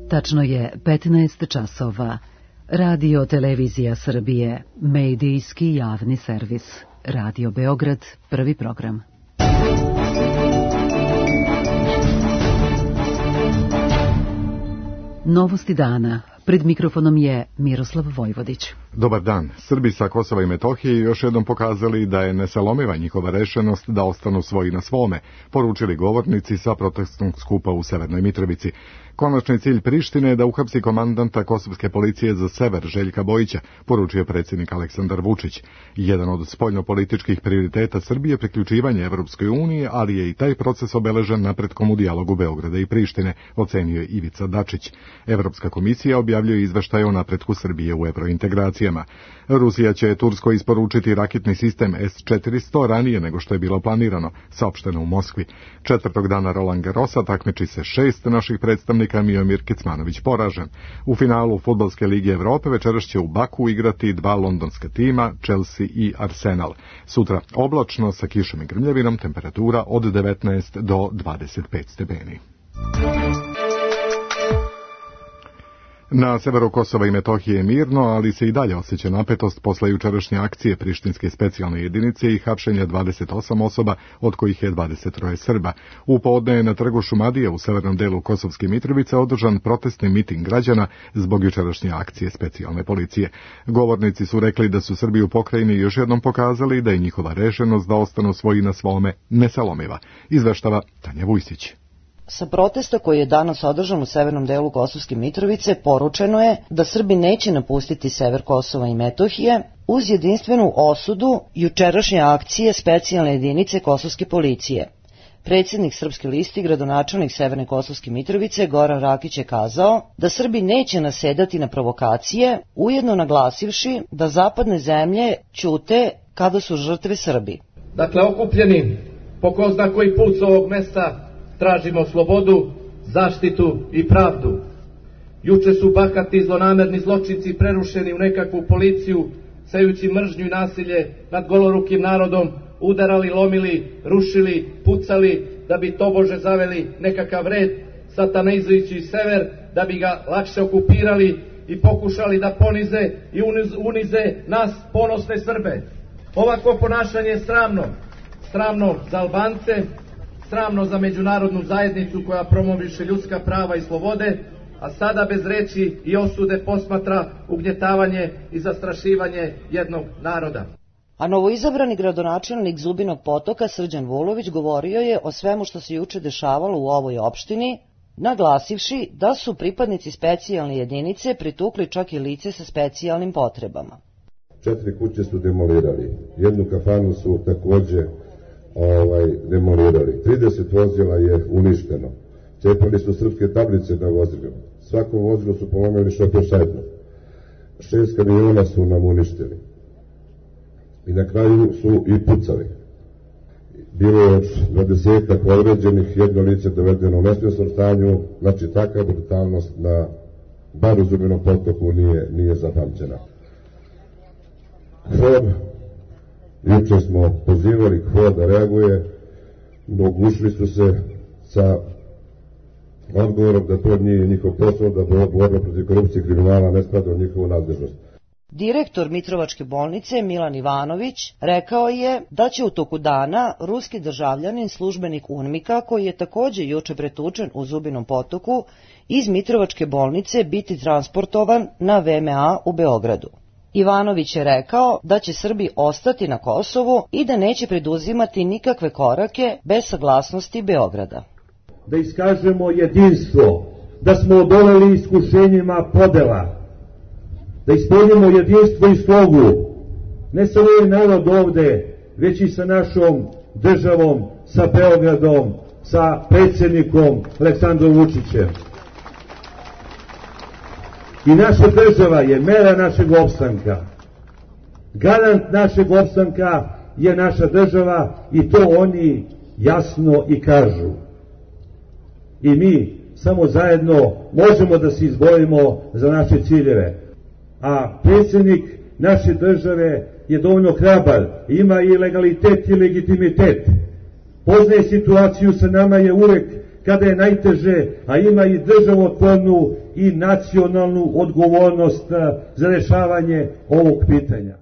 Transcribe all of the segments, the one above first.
Tačno je 15 časova. Radio Televizija Srbije, medijski javni servis. Radio Beograd, prvi program. Novosti dana. Pred mikrofonom je Miroslav Vojvodić. Dobar dan. Srbi sa Kosova i Metohije još jednom pokazali da je nesalomiva njihova rešenost da ostanu svoji na svome, poručili govornici sa protestnog skupa u Severnoj Mitrovici. Konačni cilj Prištine je da uhapsi komandanta kosovske policije za sever Željka Bojića, poručio predsjednik Aleksandar Vučić. Jedan od spoljnopolitičkih prioriteta Srbije je priključivanje Evropskoj uniji, ali je i taj proces obeležen napretkom u dijalogu Beograda i Prištine, ocenio je Ivica Dačić. Evropska komisija objavljuje izveštaje o napretku Srbije u evrointegracijama. Rusija će Turskoj isporučiti raketni sistem S-400 ranije nego što je bilo planirano, saopšteno u Moskvi. Četvrtog dana Roland Garrosa takmiči se 6 naših predstavnika, Miomir Kecmanović poražen. U finalu Fudbalske lige Evrope večeras će u Baku igrati 2 londonska tima, Chelsea i Arsenal. Sutra oblačno sa kišom i grmljavinom, temperatura od 19 do 25 stepeni. Na severu Kosova i Metohije je mirno, ali se i dalje osjeća napetost posle jučerašnje akcije Prištinske specijalne jedinice i hapšenja 28 osoba, od kojih je 23 Srba. U podne je na trgu Šumadije u severnom delu Kosovske Mitrovice održan protestni miting građana zbog jučerašnje akcije specijalne policije. Govornici su rekli da su Srbi u pokrajini još jednom pokazali da je njihova rešenost da ostanu svoji na svome nesalomiva. Izveštava Tanja Vujsić. Sa protesta koji je danas održan u severnom delu Kosovske Mitrovice poručeno je da Srbi neće napustiti sever Kosova i Metohije uz jedinstvenu osudu jučerašnje akcije specijalne jedinice Kosovske policije. Predsjednik Srpske liste i gradonačelnik Severne Kosovske Mitrovice Goran Rakić je kazao da Srbi neće nasedati na provokacije, ujedno naglasivši da zapadne zemlje ćute kada su žrtve Srbi. Dakle, okupljeni po ko zna koji put s ovog mesta tražimo slobodu, zaštitu i pravdu. Juče su bahati zlonamerni zločinci prerušeni u nekakvu policiju, sejući mržnju i nasilje nad golorukim narodom, udarali, lomili, rušili, pucali, da bi tobože zaveli nekakav red, satanizujući sever, da bi ga lakše okupirali i pokušali da ponize i unize nas ponosne Srbe. Ovako ponašanje je sramno. Sramno za Albance, sramno za međunarodnu zajednicu koja promoviše ljudska prava i slobode, a sada bez reči i osude posmatra ugnjetavanje i zastrašivanje jednog naroda. A novoizabrani gradonačelnik Zubinog Potoka Srđan Vulović govorio je o svemu što se juče dešavalo u ovoj opštini, naglasivši da su pripadnici specijalne jedinice pritukli čak i lice sa specijalnim potrebama. 4 kuće su demolirali, jednu kafanu su takođe demolirali. 30 vozila je uništeno. Cepali su srpske tablice na vozilima. Svako vozilo su polomili šofer šajbno. 6 kamiona su nam uništili. I na kraju su i pucali. Bilo je 20 povređenih, jedno lice dovedeno u nesvjesnom stanju, znači takva brutalnost na bar u Zubinom Potoku nije zapamćena. Juče smo pozivali KFOR da reaguje, oglušili su se sa odgovorom da to nije njihov posao, da borba protiv korupcije i kriminala ne spada u njihovu nadležnost. Direktor Mitrovačke bolnice Milan Ivanović rekao je da će u toku dana ruski državljanin, službenik UNMIK-a, koji je takođe juče pretučen u Zubinom Potoku, iz Mitrovačke bolnice biti transportovan na VMA u Beogradu. Ivanović je rekao da će Srbi ostati na Kosovu i da neće preduzimati nikakve korake bez saglasnosti Beograda. Da iskažemo jedinstvo, da smo odoleli iskušenjima podela, da ispunimo jedinstvo i slogu, ne samo ovaj narod ovde, već i sa našom državom, sa Beogradom, sa predsjednikom Aleksandrom Vučićem. I naša država je mera našeg opstanka. Garant našeg opstanka je naša država i to oni jasno i kažu. I mi samo zajedno možemo da se izborimo za naše ciljeve. A predsjednik naše države je dovoljno hrabar, ima i legalitet i legitimitet. Poznaje situaciju, sa nama je uvek kada je najteže, a ima i državotvornu i nacionalnu odgovornost za rešavanje ovog pitanja.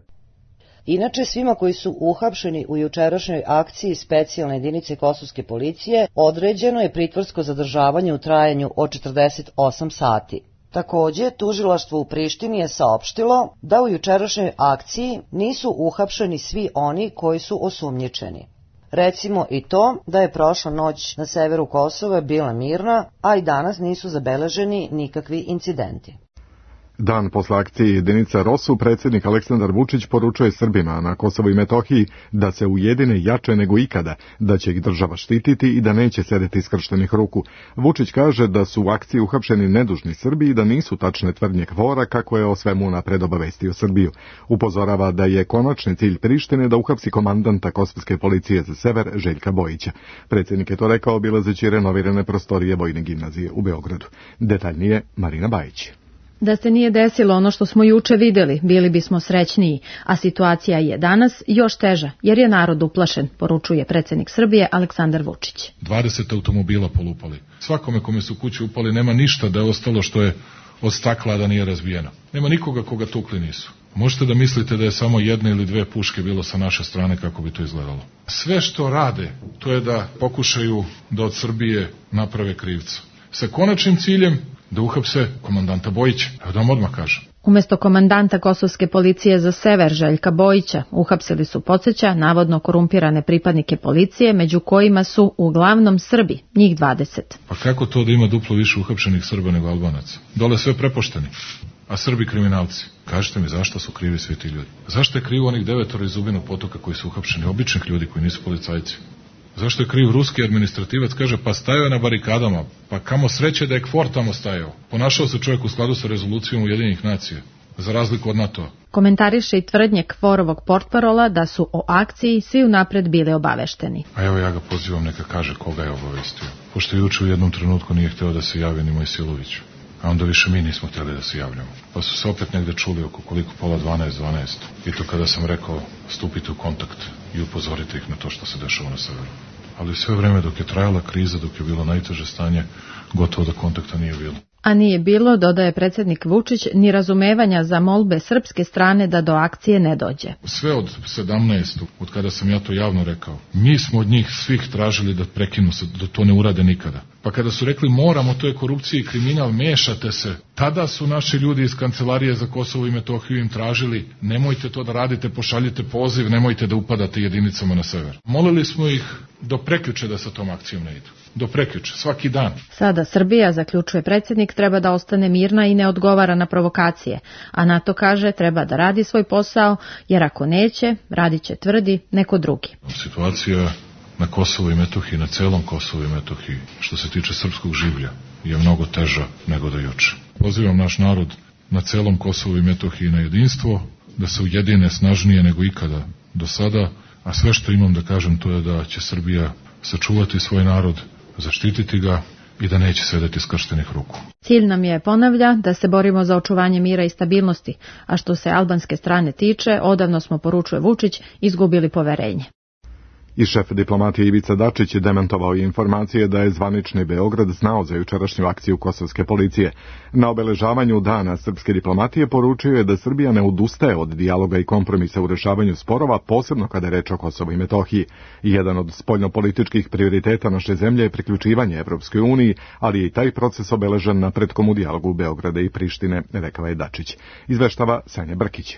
Inače, svima koji su uhapšeni u jučerašnjoj akciji specijalne jedinice kosovske policije određeno je pritvorsko zadržavanje u trajanju od 48 sati. Takođe, tužilaštvo u Prištini je saopštilo da u jučerašnjoj akciji nisu uhapšeni svi oni koji su osumnjičeni. Recimo i to da je prošla noć na severu Kosova bila mirna, a i danas nisu zabeleženi nikakvi incidenti. Dan posle akcije jedinica ROSU predsjednik Aleksandar Vučić poručuje Srbima na Kosovu i Metohiji da se ujedine jače nego ikada, da će ih država štititi i da neće sedeti skrštenih ruku. Vučić kaže da su u akciji uhapšeni nedužni Srbi i da nisu tačne tvrdnje KFOR-a kako je o svemu napred obavestio Srbiju. Upozorava da je konačni cilj Prištine da uhapsi komandanta kosovske policije za sever Željka Bojića. Predsjednik je to rekao obilazeći renovirane prostorije Vojne gimnazije u Beogradu. Detaljnije Marina Bajić. Da se nije desilo ono što smo juče videli, bili bismo srećniji, a situacija je danas još teža, jer je narod uplašen, poručuje predsjednik Srbije Aleksandar Vučić. 20 automobila polupali. Svakome kome su kuće upali nema ništa da je ostalo što je od stakla da nije razbijeno. Nema nikoga koga tukli nisu. Možete da mislite da je samo jedna ili dve puške bilo sa naše strane kako bi to izgledalo. Sve što rade, to je da pokušaju da od Srbije naprave krivca. Sa konačnim ciljem da uhapse komandanta Bojića. Evo da vam odmah kažem. Umjesto komandanta kosovske policije za sever Željka Bojića uhapsili su, podsjeća, navodno korumpirane pripadnike policije, među kojima su uglavnom Srbi, njih 20. Pa kako to da ima duplo više uhapšenih Srba nego Albanaca? Dole sve prepošteni, a Srbi kriminalci. Kažite mi zašto su krivi svi ti ljudi? Zašto je krivo onih 9 iz Zubinog potoka koji su uhapšeni, običnih ljudi koji nisu policajci? Zašto je kriv ruski administrativac? Kaže, pa stajao je na barikadama, pa kamo sreće da je KFOR tamo stajao. Ponašao se čovjek u skladu sa rezolucijom Ujedinjenih nacija, za razliku od NATO-a. Komentariše i tvrdnje KFOR-ovog portparola da su o akciji svi unapred bili obavešteni. A evo ja ga pozivam neka kaže koga je obavestio. Pošto juče u jednom trenutku nije hteo da se javi ni Mojsilović, a onda više mi nismo htjeli da se javljamo. Pa su se opet negde čuli oko koliko pola 12. I to kada sam rekao stupite u kontakt i upozorite ih na to što se dešava na severu. Ali sve vreme dok je trajala kriza, dok je bilo najteže stanje, gotovo da kontakta nije bilo. A nije bilo, dodaje predsjednik Vučić, ni razumevanja za molbe srpske strane da do akcije ne dođe. Sve od 17. od kada sam ja to javno rekao, mi smo od njih svih tražili da prekinu se, da to ne urade nikada. Pa kada su rekli moramo, to je korupcija i kriminal, mešate se, tada su naši ljudi iz Kancelarije za Kosovo i Metohiju im tražili nemojte to da radite, pošaljite poziv, nemojte da upadate jedinicama na sever. Molili smo ih do prekjuče da sa tom akcijom ne idu. Do prekjuče, svaki dan. Sada Srbija, zaključuje predsjednik, treba da ostane mirna i ne odgovara na provokacije, a NATO kaže treba da radi svoj posao, jer ako neće, radit će, tvrdi, neko drugi. Situacija na Kosovu i Metohiji, na celom Kosovu i Metohiji, što se tiče srpskog življa, je mnogo teža nego do juče. Pozivam naš narod na celom Kosovu i Metohiji na jedinstvo, da se ujedine snažnije nego ikada do sada, a sve što imam da kažem to je da će Srbija sačuvati svoj narod, zaštititi ga i da neće sedeti skrštenih ruku. Cilj nam je, ponavlja, da se borimo za očuvanje mira i stabilnosti, a što se albanske strane tiče, odavno smo, poručuje Vučić, izgubili poverenje. I šef diplomatije Ivica Dačić je demantovao informacije da je zvanični Beograd znao za jučerašnju akciju kosovske policije. Na obeležavanju dana srpske diplomatije poručio je da Srbija ne odustaje od dijaloga i kompromisa u rešavanju sporova, posebno kada je reč o Kosovu i Metohiji. Jedan od spoljnopolitičkih prioriteta naše zemlje je priključivanje Evropskoj uniji, ali je i taj proces obeležen napretkom u dijalogu Beograda i Prištine, rekao je Dačić. Izveštava Sanja Brkić.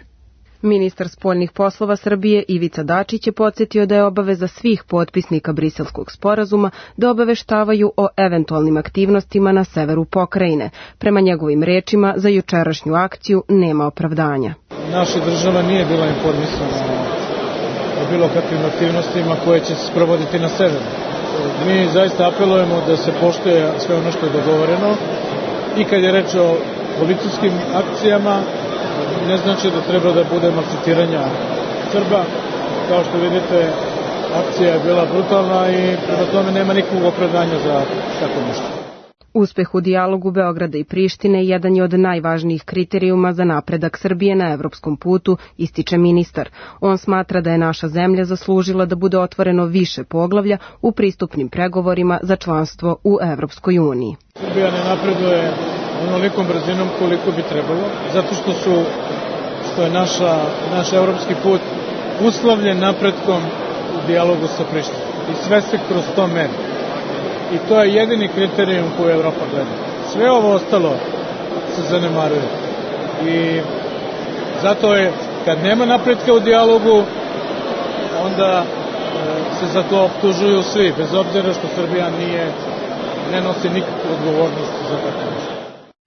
Ministar spoljnih poslova Srbije Ivica Dačić je podsjetio da je obaveza svih potpisnika Briselskog sporazuma da obaveštavaju o eventualnim aktivnostima na severu pokrajine. Prema njegovim rečima, za jučerašnju akciju nema opravdanja. Naša država nije bila informisana o bilo kakvim aktivnostima koje će se sprovoditi na severu. Mi zaista apelujemo da se poštuje sve ono što je dogovoreno i kad je reč o policijskim akcijama, ne znači da treba da bude maltretiranja Srba. Kao što vidite, akcija je bila brutalna i prema tome nema nikakvog opravdanja za tako nešto. Uspeh u dijalogu Beograda i Prištine jedan je od najvažnijih kriterijuma za napredak Srbije na evropskom putu, ističe ministar. On smatra da je naša zemlja zaslužila da bude otvoreno više poglavlja u pristupnim pregovorima za članstvo u Evropskoj uniji. Srbija ne napreduje onolikom brzinom koliko bi trebalo, zato što je naš evropski put uslovljen napretkom u dijalogu sa Prištinom. I sve se kroz to meri. I to je jedini kriterijum koji Evropa gleda. Sve ovo ostalo se zanemaruje. I zato je, kad nema napretka u dijalogu, onda se za to optužuju svi, bez obzira što Srbija ne nosi nikakvu odgovornost za tako nešto.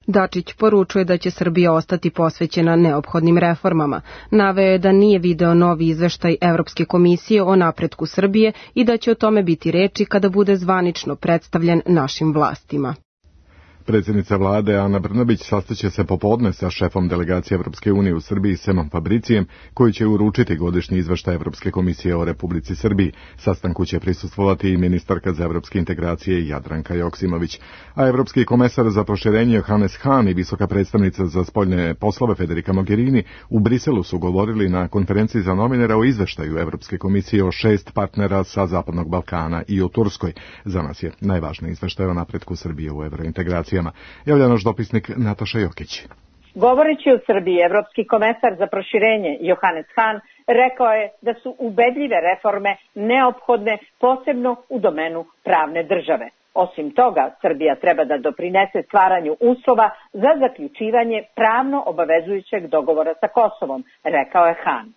Dačić poručuje da će Srbija ostati posvećena neophodnim reformama. Naveo je da nije video novi izveštaj Evropske komisije o napretku Srbije i da će o tome biti reči kada bude zvanično predstavljen našim vlastima. Predsjednica vlade Ana Brnabić sastaće se popodne sa šefom delegacije Evropske unije u Srbiji Semom Fabricijem, koji će uručiti godišnji izveštaj Evropske komisije o Republici Srbiji. Sastanku će prisustvovati i ministarka za evropske integracije Jadranka Joksimović. A evropski komesar za proširenje Johannes Hahn i visoka predstavnica za spoljne poslove Federica Mogherini u Briselu su govorili na konferenciji za novinara o izveštaju Evropske komisije o 6 partnera sa Zapadnog Balkana i o Turskoj. Za nas je najvažniji izveštaj o napretku Srbije u evrointegracijama. Javlja naš dopisnik Nataša Jokić. Govoreći o Srbiji, evropski komesar za proširenje Johannes Hahn rekao je da su ubedljive reforme neophodne, posebno u domenu pravne države. Osim toga, Srbija treba da doprinese stvaranju uslova za zaključivanje pravno obavezujućeg dogovora sa Kosovom, rekao je Hahn.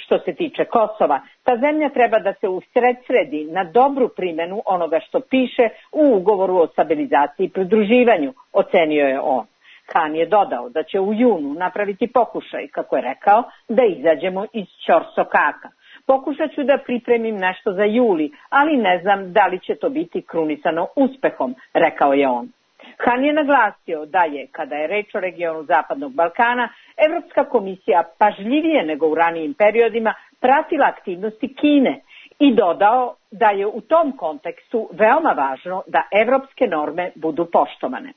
Što se tiče Kosova, ta zemlja treba da se usredsredi na dobru primjenu onoga što piše u ugovoru o stabilizaciji i pridruživanju, ocenio je on. Hahn je dodao da će u junu napraviti pokušaj, kako je rekao, da izađemo iz ćorsokaka. Pokušat ću da pripremim nešto za juli, ali ne znam da li će to biti krunisano uspehom, rekao je on. Hahn je naglasio da je, kada je reč o regionu Zapadnog Balkana, Evropska komisija pažljivije nego u ranijim periodima pratila aktivnosti Kine i dodao da je u tom kontekstu veoma važno da evropske norme budu poštovane.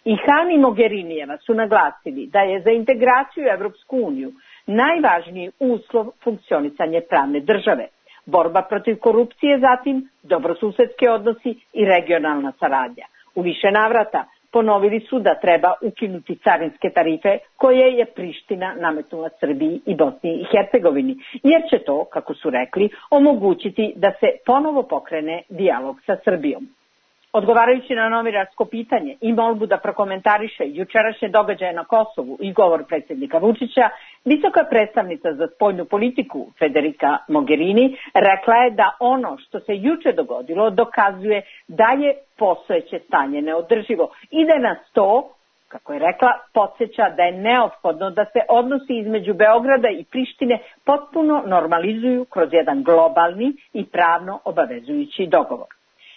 I Hahn i Mogherinijeva su naglasili da je za integraciju u Evropsku uniju najvažniji uslov funkcionisanje pravne države, borba protiv korupcije, zatim dobrosusedski odnosi i regionalna saradnja. U više navrata ponovili su da treba ukinuti carinske tarife koje je Priština nametnula Srbiji i Bosni i Hercegovini, jer će to, kako su rekli, omogućiti da se ponovo pokrene dijalog sa Srbijom. Odgovarajući na novinarsko pitanje i molbu da prokomentariše jučerašnje događaje na Kosovu i govor predsjednika Vučića, visoka predstavnica za spoljnu politiku Federica Mogherini rekla je da ono što se juče dogodilo dokazuje da je postojeće stanje neodrživo i da nas to, kako je rekla, podsjeća da je neophodno da se odnosi između Beograda i Prištine potpuno normalizuju kroz jedan globalni i pravno obavezujući dogovor.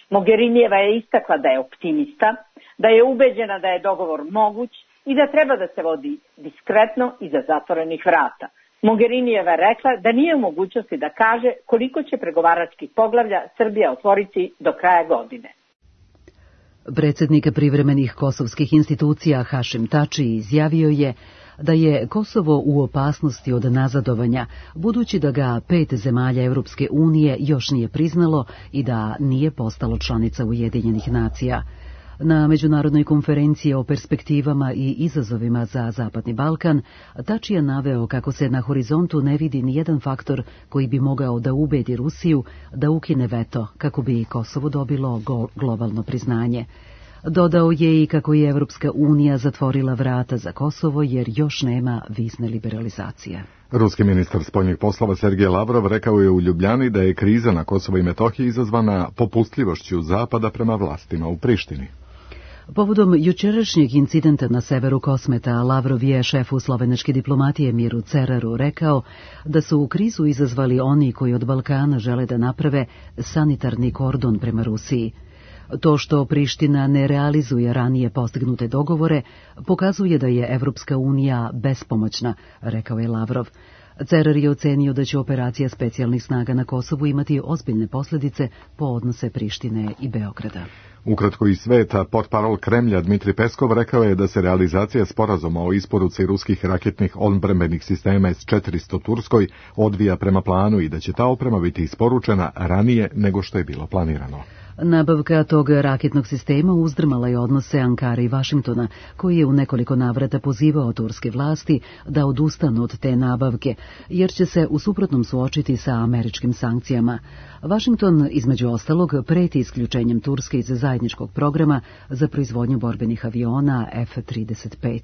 Mogherinijeva je istakla da je optimista, da je ubeđena da je dogovor moguć i da treba da se vodi diskretno iza zatvorenih vrata. Mogherinijeva je rekla da nije u mogućnosti da kaže koliko će pregovaračkih poglavlja Srbija otvoriti do kraja godine. Predsjednik privremenih kosovskih institucija Hašim Tači izjavio je da je Kosovo u opasnosti od nazadovanja, budući da ga 5 zemalja Europske unije još nije priznalo i da nije postalo članica Ujedinjenih nacija. Na međunarodnoj konferenciji o perspektivama i izazovima za Zapadni Balkan, Tači je naveo kako se na horizontu ne vidi nijedan faktor koji bi mogao da ubedi Rusiju da ukine veto kako bi Kosovo dobilo globalno priznanje. Dodao je i kako je Evropska unija zatvorila vrata za Kosovo jer još nema vizne liberalizacije. Ruski ministar spoljnih poslova Sergej Lavrov rekao je u Ljubljani da je kriza na Kosovo i Metohiji izazvana popustljivošću Zapada prema vlastima u Prištini. Povodom jučerašnjeg incidenta na severu Kosmeta, Lavrov je šefu slovenačke diplomatije Miru Ceraru rekao da su u krizu izazvali oni koji od Balkana žele da naprave sanitarni kordon prema Rusiji. To što Priština ne realizuje ranije postignute dogovore pokazuje da je Evropska unija bespomoćna, rekao je Lavrov. Cerar je ocenio da će operacija specijalnih snaga na Kosovu imati ozbiljne posljedice po odnose Prištine i Beograda. Ukratko iz sveta, portparol Kremlja Dmitri Peskov rekao je da se realizacija sporazuma o isporuci ruskih raketnih odbrambenih sistema S-400 Turskoj odvija prema planu i da će ta oprema biti isporučena ranije nego što je bilo planirano. Nabavka tog raketnog sistema uzdrmala je odnose Ankare i Vašingtona, koji je u nekoliko navrata pozivao turske vlasti da odustanu od te nabavke, jer će se u suprotnom suočiti sa američkim sankcijama. Vašington, između ostalog, preti isključenjem Turske iz zajedničkog programa za proizvodnju borbenih aviona F-35.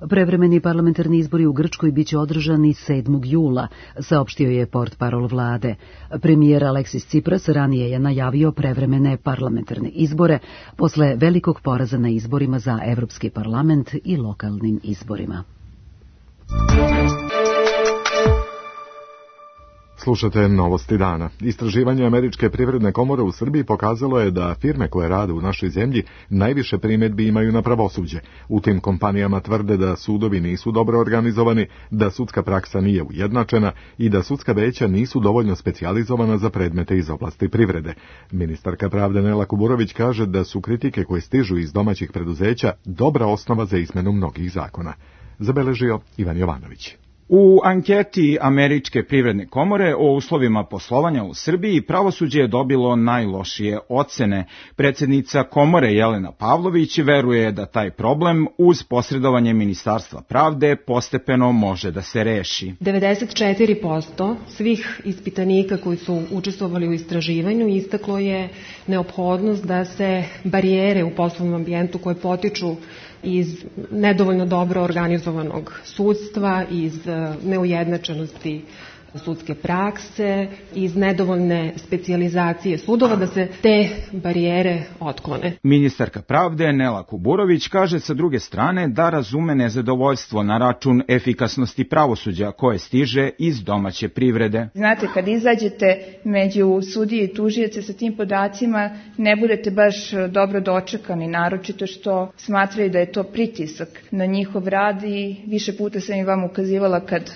Prevremeni parlamentarni izbori u Grčkoj biće održani 7. jula, saopštio je portparol vlade. Premijer Aleksis Tsipras ranije je najavio prevremene parlamentarne izbore posle velikog poraza na izborima za Evropski parlament i lokalnim izborima. Slušate novosti dana. Istraživanje Američke privredne komore u Srbiji pokazalo je da firme koje rade u našoj zemlji najviše primjedbi imaju na pravosuđe. U tim kompanijama tvrde da sudovi nisu dobro organizovani, da sudska praksa nije ujednačena i da sudska veća nisu dovoljno specijalizovana za predmete iz oblasti privrede. Ministarka pravde Nela Kuburović kaže da su kritike koje stižu iz domaćih preduzeća dobra osnova za izmenu mnogih zakona. Zabeležio Ivan Jovanović. U anketi Američke privredne komore o uslovima poslovanja u Srbiji pravosuđe je dobilo najlošije ocene. Predsjednica komore Jelena Pavlović veruje da taj problem uz posredovanje Ministarstva pravde postepeno može da se reši. 94% svih ispitanika koji su učestvovali u istraživanju istaklo je neophodnost da se barijere u poslovnom ambijentu koje potiču iz nedovoljno dobro organizovanog sudstva, iz neujednačenosti sudske prakse, iz nedovoljne specijalizacije sudova, da se te barijere otklone. Ministarka pravde Nela Kuburović kaže sa druge strane da razume nezadovoljstvo na račun efikasnosti pravosuđa koje stiže iz domaće privrede. Znate, kad izađete među sudije i tužioce sa tim podacima, ne budete baš dobro dočekani, naročito što smatraju da je to pritisak na njihov rad i više puta sam i vam ukazivala kad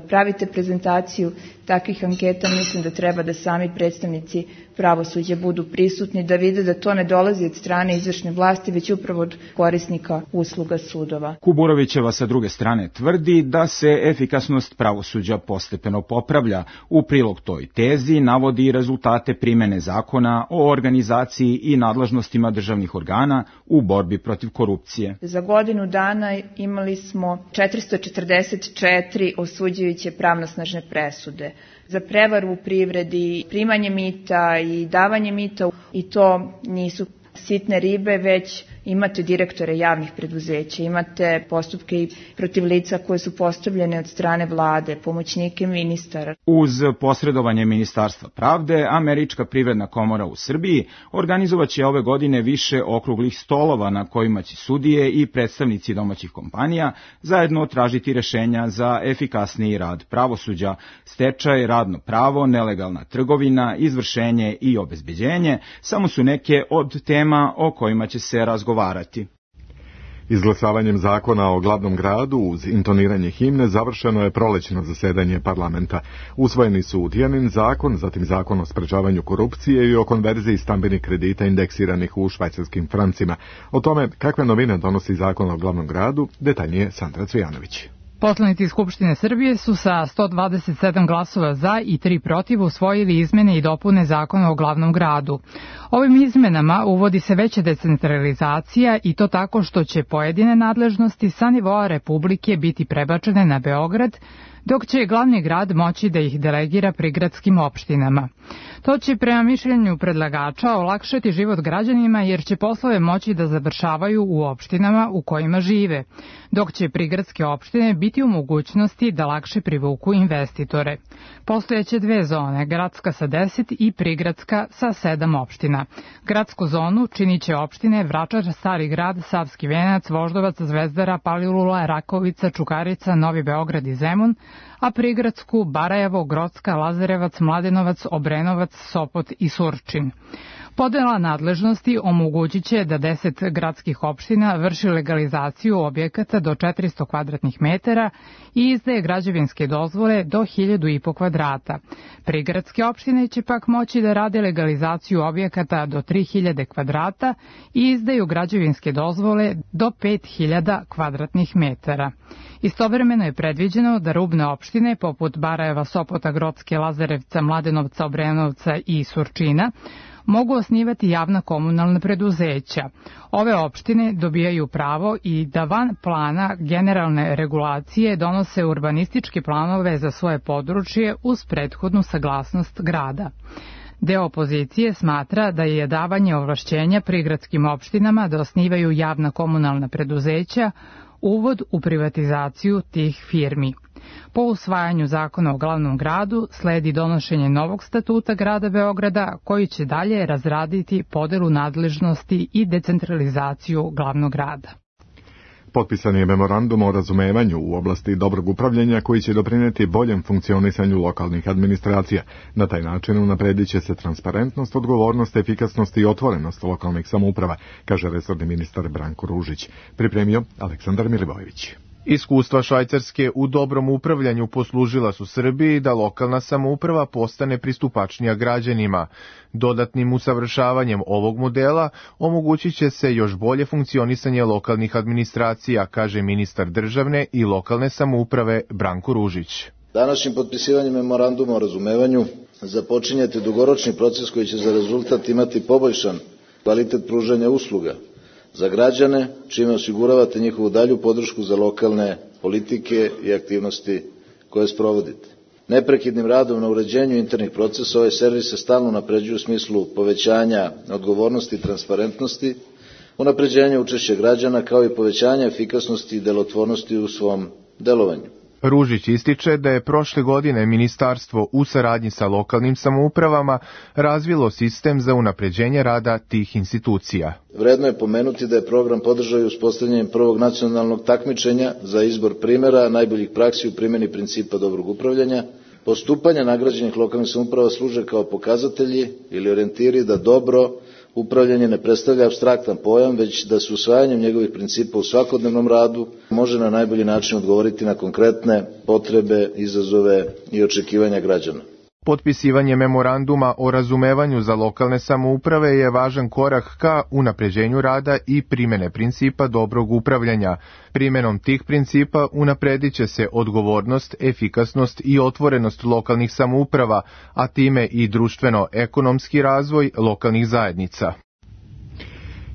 pravite prezentaciju takvih anketa, mislim da treba da sami predstavnici pravosuđa budu prisutni, da vide da to ne dolazi od strane izvršne vlasti, već upravo od korisnika usluga sudova. Kuburovićeva sa druge strane tvrdi da se efikasnost pravosuđa postepeno popravlja. U prilog toj tezi navodi rezultate primene zakona o organizaciji i nadležnostima državnih organa u borbi protiv korupcije. Za godinu dana imali smo 444 osuđujuće pravnosnažne presude za prevaru u privredi, primanje mita i davanje mita, i to nisu sitne ribe, već imate direktore javnih preduzeća, imate postupke i protiv lica koje su postavljene od strane vlade, pomoćnike ministara. Uz posredovanje Ministarstva pravde, Američka privredna komora u Srbiji organizovaće ove godine više okruglih stolova na kojima će sudije i predstavnici domaćih kompanija zajedno tražiti rešenja za efikasniji rad pravosuđa, stečaj, radno pravo, nelegalna trgovina, izvršenje i obezbeđenje, samo su neke od tema o kojima će se razgovarati. Izglasavanjem zakona o glavnom gradu uz intoniranje himne završeno je prolećno zasedanje parlamenta. Usvojeni su Tijanin zakon, zatim zakon o sprečavanju korupcije i o konverziji stambenih kredita indeksiranih u švajcarskim francima. O tome kakve novine donosi zakon o glavnom gradu, detaljnije Sandra Cvijanović. Poslanici Skupštine Srbije su sa 127 glasova za i 3 protiv usvojili izmene i dopune zakona o glavnom gradu. Ovim izmenama uvodi se veća decentralizacija i to tako što će pojedine nadležnosti sa nivoa Republike biti prebačene na Beograd, dok će glavni grad moći da ih delegira prigradskim opštinama. To će prema mišljenju predlagača olakšati život građanima jer će poslove moći da završavaju u opštinama u kojima žive, dok će prigradske opštine biti u mogućnosti da lakše privuku investitore. Postojeće dve zone, gradska sa 10 i prigradska sa 7 opština. Gradsku zonu činit će opštine Vračar, Stari grad, Savski venac, Voždovac, Zvezdara, Palilula, Rakovica, Čukarica, Novi Beograd i Zemun, a prigradsku Barajevo, Grocka, Lazarevac, Mladenovac, Obrenovac, Sopot i Surčin. Podela nadležnosti omogućit će da 10 gradskih opština vrši legalizaciju objekata do 400 kvadratnih metara i izdaje građevinske dozvole do 1000,5 kvadrata. Prigradske opštine će pak moći da rade legalizaciju objekata do 3000 kvadrata i izdaju građevinske dozvole do 5000 kvadratnih metara. Istovremeno je predviđeno da rubne opštine poput Barajeva, Sopota, Grocke, Lazarevca, Mladenovca, Obrenovca i Surčina mogu osnivati javna komunalna preduzeća. Ove opštine dobijaju pravo i da van plana generalne regulacije donose urbanističke planove za svoje područje uz prethodnu saglasnost grada. Deo opozicije smatra da je davanje ovlašćenja prigradskim opštinama da osnivaju javna komunalna preduzeća uvod u privatizaciju tih firmi. Po usvajanju zakona o glavnom gradu sledi donošenje novog statuta grada Beograda koji će dalje razraditi podelu nadležnosti i decentralizaciju glavnog grada. Potpisan je memorandum o razumevanju u oblasti dobrog upravljanja koji će doprineti boljem funkcionisanju lokalnih administracija. Na taj način unapredit će se transparentnost, odgovornost, efikasnost i otvorenost lokalnih samouprava, kaže resorni ministar Branko Ružić. Pripremio Aleksandar Milivojević. Iskustva Švajcarske u dobrom upravljanju poslužila su Srbiji da lokalna samouprava postane pristupačnija građanima. Dodatnim usavršavanjem ovog modela omogućit će se još bolje funkcionisanje lokalnih administracija, kaže ministar državne i lokalne samouprave Branko Ružić. Današnjim potpisivanjem memoranduma o razumevanju započinjete dugoročni proces koji će za rezultat imati poboljšan kvalitet pružanja usluga za građane, čime osiguravate njihovu dalju podršku za lokalne politike i aktivnosti koje sprovodite. Neprekidnim radom na uređenju internih procesa ovaj servis se stalno unapređuje u smislu povećanja odgovornosti i transparentnosti, unapređenja učešća građana kao i povećanja efikasnosti i delotvornosti u svom delovanju. Ružić ističe da je prošle godine ministarstvo u saradnji sa lokalnim samoupravama razvilo sistem za unapređenje rada tih institucija. Vredno je pomenuti da je program podržao i uspostavljanjem prvog nacionalnog takmičenja za izbor primera najboljih praksi u primjeni principa dobrog upravljanja. Postupanja nagrađenih lokalnih samouprava služe kao pokazatelji ili orijentiri da dobro upravljanje ne predstavlja apstraktan pojam, već da se usvajanjem njegovih principa u svakodnevnom radu može na najbolji način odgovoriti na konkretne potrebe, izazove i očekivanja građana. Potpisivanje memoranduma o razumevanju za lokalne samouprave je važan korak ka unapređenju rada i primene principa dobrog upravljanja. Primenom tih principa unapredit će se odgovornost, efikasnost i otvorenost lokalnih samouprava, a time i društveno-ekonomski razvoj lokalnih zajednica.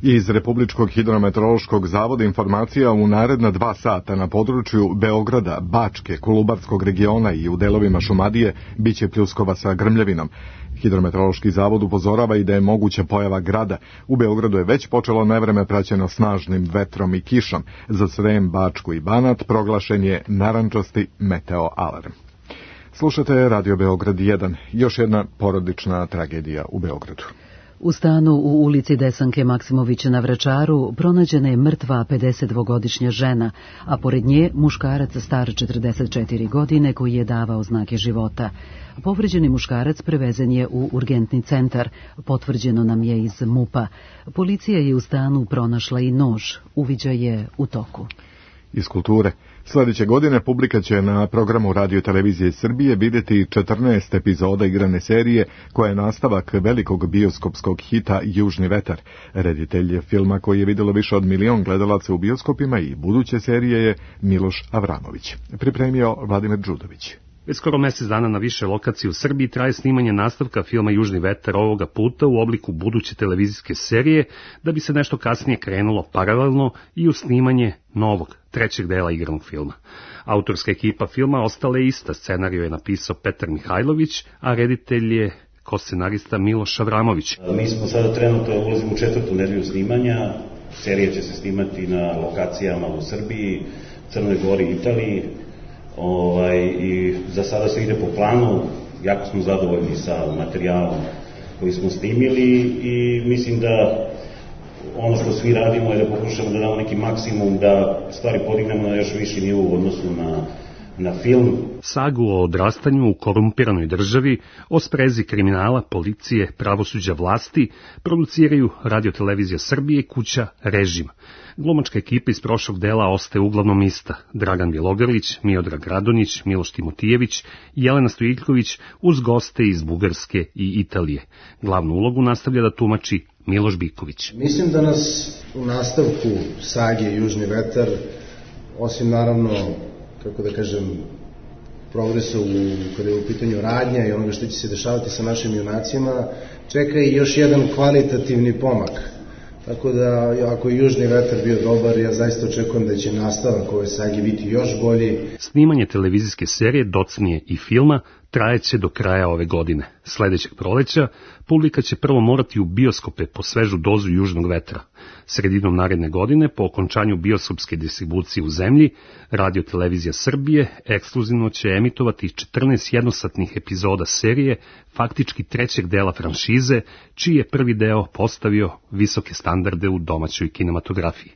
Iz Republičkog hidrometeorološkog zavoda informacija u naredna 2 sata na području Beograda, Bačke, Kolubarskog regiona i u delovima Šumadije biće pljuskova sa grmljavinom. Hidrometeorološki zavod upozorava i da je moguća pojava grada. U Beogradu je već počelo nevreme praćeno snažnim vetrom i kišom. Za Srem, Bačku i Banat proglašen je narandžasti meteo alarm. Slušate Radio Beograd 1, još jedna porodična tragedija u Beogradu. U stanu u ulici Desanke Maksimović na Vračaru pronađena je mrtva 52-godišnja žena, a pored nje muškarac star 44 godine koji je davao znake života. Povređeni muškarac prevezen je u urgentni centar, potvrđeno nam je iz MUP-a. Policija je u stanu pronašla i nož, uviđaj je u toku. Iz kulture. Sljedeće godine publika će na programu Radio Televizije Srbije vidjeti 14 epizoda igrane serije koja je nastavak velikog bioskopskog hita Južni vetar. Reditelj filma koji je vidjelo više od 1 milion gledalaca u bioskopima i buduće serije je Miloš Avramović. Pripremio Vladimir Đudović. Već skoro mjesec dana na više lokacija u Srbiji traje snimanje nastavka filma Južni vetar, ovoga puta u obliku buduće televizijske serije, da bi se nešto kasnije krenulo paralelno i u snimanje novog, 3. dela igranog filma. Autorska ekipa filma ostala je ista, scenariju je napisao Petar Mihajlović, a reditelj je ko-scenarista Miloš Avramović. Mi smo sada trenutno ulazimo u 4. nedelju snimanja, serija će se snimati na lokacijama u Srbiji, Crnoj Gori i Italiji. I za sada se ide po planu, jako smo zadovoljni sa materijalom koji smo snimili i mislim da ono što svi radimo je da pokušamo da damo neki maksimum, da stvari podignemo na još viši nivo u odnosu na na film. Sagu o odrastanju u korumpiranoj državi, o sprezi kriminala, policije, pravosuđa, vlasti, produciraju Radio-televizija Srbije i kuća Režim. Glumačka ekipa iz prošlog dela ostaje uglavnom ista. Dragan Bjelogrlić, Miodrag Radonjić, Miloš Timotijević i Jelena Stojiljković uz goste iz Bugarske i Italije. Glavnu ulogu nastavlja da tumači Miloš Biković. Mislim da nas u nastavku sage Južni vetar, osim naravno, kako da kažem, progresa kada je u pitanju radnja i onoga što će se dešavati sa našim junacima, čeka i još jedan kvalitativni pomak. Tako da, ako je Južni vetar bio dobar, ja zaista očekujem da će nastavak ove sage biti još bolji. Snimanje televizijske serije, docnije i filma trajeće do kraja ove godine. Sledećeg proleća publika će prvo morati u bioskope po svežu dozu Južnog vetra. Sredinom naredne godine, po okončanju bioskopske distribucije u zemlji, Radio-televizija Srbije ekskluzivno će emitovati 14 jednosatnih epizoda serije, faktički trećeg dela franšize, čiji je prvi deo postavio visoke standarde u domaćoj kinematografiji.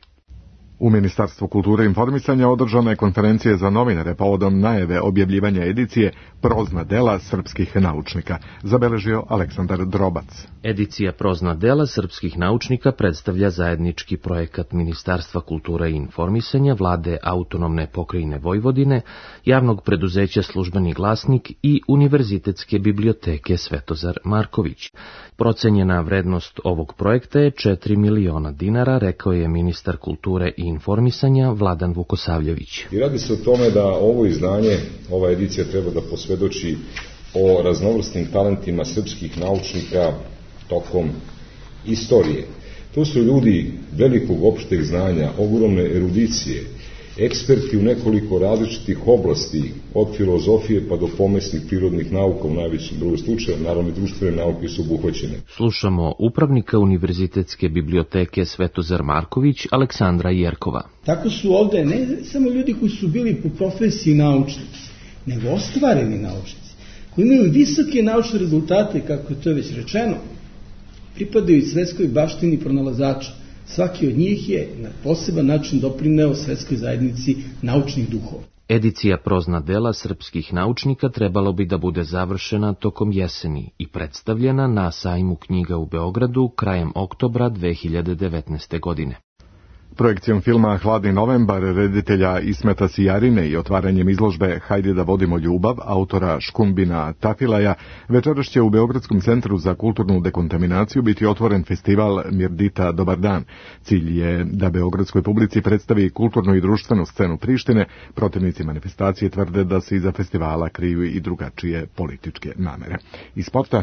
U Ministarstvu kulture i informisanja održana je konferencija za novinare povodom najave objavljivanja edicije Prozna dela srpskih naučnika, zabeležio Aleksandar Drobac. Edicija Prozna dela srpskih naučnika predstavlja zajednički projekat Ministarstva kulture i informisanja, Vlade Autonomne pokrajine Vojvodine, javnog preduzeća Službeni glasnik i Univerzitetske biblioteke Svetozar Marković. Procenjena vrednost ovog projekta je 4 miliona dinara, rekao je ministar kulture i informisanja Vladan Vukosavljević. I radi se o tome da ovo izdanje, ova edicija treba da posvedoči o raznovrsnim talentima srpskih naučnika tokom istorije. To su ljudi velikog opšteg znanja, ogromne erudicije, eksperti u nekoliko različitih oblasti, od filozofije pa do pomesnih prirodnih nauka u najvećem broju slučajeva, naravno i društvene nauke su obuhvaćene. Slušamo upravnika Univerzitetske biblioteke Svetozar Marković, Aleksandra Jerkova. Tako su ovde ne samo ljudi koji su bili po profesiji naučnici, nego ostvareni naučnici, koji imaju visoke naučne rezultate, kako je to već rečeno, pripadaju i svetskoj baštini pronalazača. Svaki od njih je na poseban način doprineo svetskoj zajednici naučnih duhova. Edicija Prozna dela srpskih naučnika trebalo bi da bude završena tokom jeseni i predstavljena na sajmu knjiga u Beogradu krajem oktobra 2019. godine. Projekcijom filma Hladni novembar reditelja Ismeta Sijarine i otvaranjem izložbe Hajde da vodimo ljubav autora Škumbina Tafilaja večeras će u Beogradskom centru za kulturnu dekontaminaciju biti otvoren festival Mirdita Dobar dan. Cilj je da beogradskoj publici predstavi kulturnu i društvenu scenu Prištine. Protivnici manifestacije tvrde da se iza festivala kriju i drugačije političke namere. Iz sporta.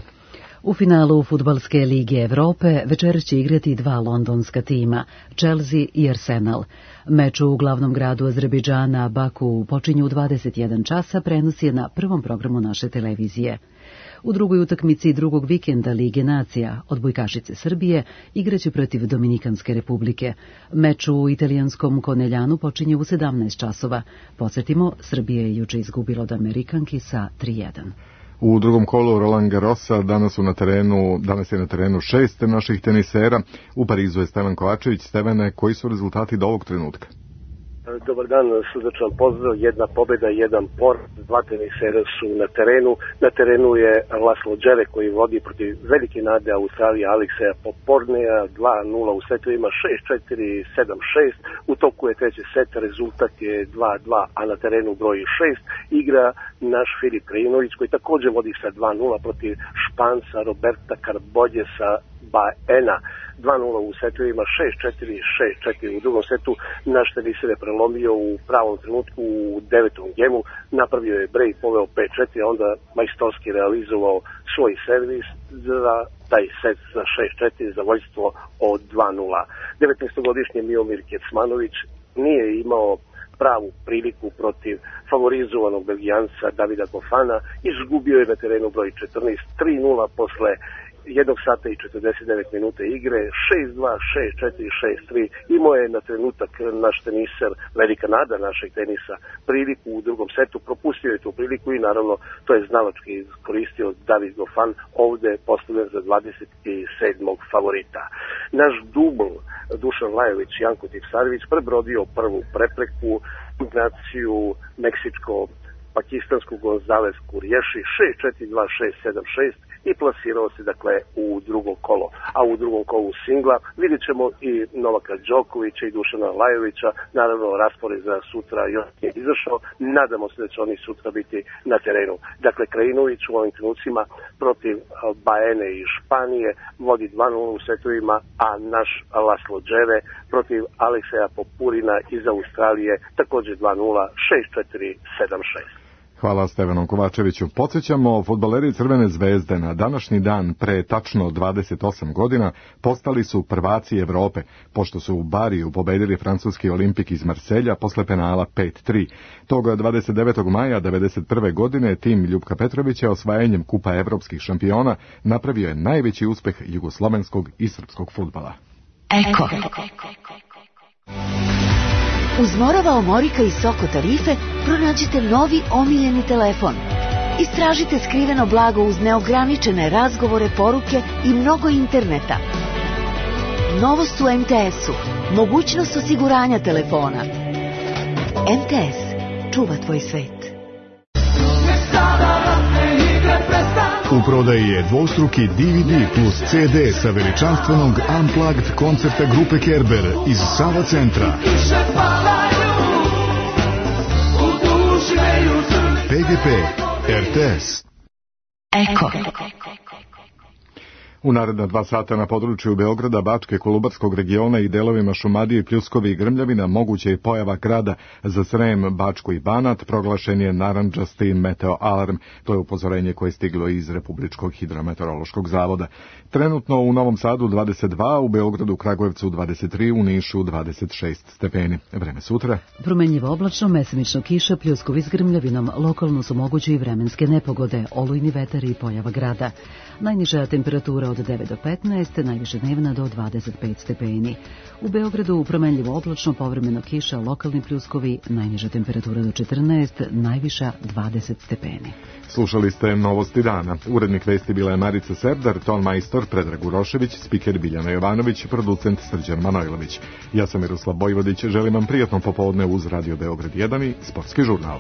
U finalu Fudbalske lige Evrope večeras će igrati dva londonska tima, Chelsea i Arsenal. Meč u glavnom gradu Azerbejdžana, Baku, počinju u 21 časa, prenos je na prvom programu naše televizije. U drugoj utakmici drugog vikenda Lige nacija, odbojkašice Srbije igraće protiv Dominikanske republike. Meč u italijanskom Koneljanu počinje u 17 časova. Podsjetimo, Srbija je juče izgubila od Amerikanki sa 3:1. U drugom kolu Roland Garrosa danas je na terenu 6 naših tenisera. U Parizu je Stevan Kovačević. Stevane, koji su rezultati do ovog trenutka? Dobar dan, srdačan pozdrav, jedna pobjeda, jedan poraz, dva tenisera su na terenu. Na terenu je Laslo Džere koji vodi protiv velike nade Australije Alekseja Poporneja, 2-0 u setovima, 6-4, 7-6. U toku je treći set, rezultat je 2-2, a na terenu broji 6. Igra naš Filip Krajinović koji također vodi sa 2-0 protiv Španca Roberta Karboljesa Baena. 2-0 u setovima, 6-4, 6-4 u drugom setu. Naš teniser je prelomio u pravom trenutku u 9. gemu, napravio je break, poveo 5-4, a onda majstorski realizovao svoj servis za taj set za 6-4, za vođstvo od 2-0. 19-godišnji Miomir Kecmanović nije imao pravu priliku protiv favorizovanog Belgijanca Davida Gofana, izgubio je na terenu broj 14, 3-0 posle 1 sata i 49 minuta igre, 6-2, 6-4, 6-3. Imao je na trenutak naš teniser, velika nada našeg tenisa, priliku u drugom setu, propustio je tu priliku i naravno to je znalački iskoristio David Gofan, ovde postavljen za 27. favorita. Naš dubl Dušan Lajović i Janko Tipsarević prebrodio prvu prepreku, kombinaciju Meksičko pakistansku Gonzales Kurješi 6-4-2-6-7-6 i plasirao se dakle u drugo kolo. A u drugom kolu singla vidjet ćemo i Novaka Đokovića i Dušana Lajovića. Naravno, raspored za sutra još je izašao. Nadamo se da će oni sutra biti na terenu. Dakle, Krajinović u ovim trenucima protiv Baene iz Španije vodi 2-0 u setovima, a naš Laslo Džere protiv Alekseja Popurina iz Australije također 2-0, 6-4-7-6. Hvala Stevanom Kovačeviću. Podsjećamo, fudbaleri Crvene zvezde na današnji dan pre tačno 28 godina postali su prvaci Evrope, pošto su u Bariju pobedili francuski Olimpik iz Marselja posle penala 5-3. Toga 29. maja 1991. godine tim Ljupka Petrovića osvajanjem Kupa evropskih šampiona napravio je najveći uspeh jugoslovenskog i srpskog fudbala. Eko. Uz Morava Omorika i Soko tarife pronađite novi omiljeni telefon. Istražite skriveno blago uz neograničene razgovore, poruke i mnogo interneta. Novost u MTS-u. Mogućnost osiguranja telefona. MTS. Čuva tvoj svet. U prodaji je dvostruki DVD plus CD sa veličanstvenog Unplugged koncerta grupe Kerber iz Sava centra. PGP RTS. Eko. U naredna 2 sata na području Beograda, Bačke, Kolubarskog regiona i delovima Šumadije, Pljuskovi i Grmljavina moguće je pojava grada za Srem, Bačku i Banat. Proglašen je narandžasti meteo alarm. To je upozorenje koje je stiglo iz Republičkog hidrometeorološkog zavoda. Trenutno u Novom Sadu 22, u Beogradu, Kragujevcu 23, u Nišu 26 stepeni. Vreme sutra. Promenljivo oblačno, mesemično kiša, pljuskovi s grmljavinom. Lokalno su moguće i vremenske nepogode, olujni vetar i pojava grada. Najniža temperatura od 9 do 15, najviše dnevna do 25 stepeni. U Beogradu promenljivo oblačno, povremeno kiša, lokalni pljuskovi, najniža temperatura do 14, najviša 20 stepeni. Slušali ste Novosti dana. Urednik vesti bila je Marica Serdar, ton majstor Predrag Urošević, spiker Biljana Jovanović, producent Srđan Manojlović. Ja sam Miroslav Bojvodić, želim vam prijatno popodne uz Radio Beograd 1 i Sportski žurnal.